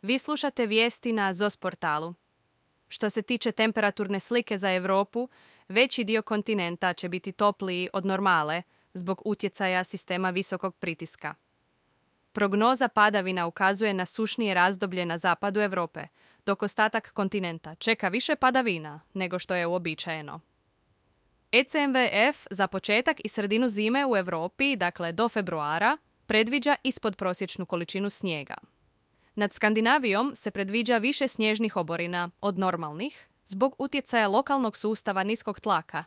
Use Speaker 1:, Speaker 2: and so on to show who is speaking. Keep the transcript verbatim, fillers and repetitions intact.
Speaker 1: Vi slušate vijesti na Z O S portalu. Što se tiče temperaturne slike za Europu, veći dio kontinenta će biti topliji od normale zbog utjecaja sistema visokog pritiska. Prognoza padavina ukazuje na sušnije razdoblje na zapadu Europe, dok ostatak kontinenta čeka više padavina nego što je uobičajeno. E C M W F za početak i sredinu zime u Europi, dakle do februara, predviđa ispodprosječnu količinu snijega. Nad Skandinavijom se predviđa više snježnih oborina od normalnih zbog utjecaja lokalnog sustava niskog tlaka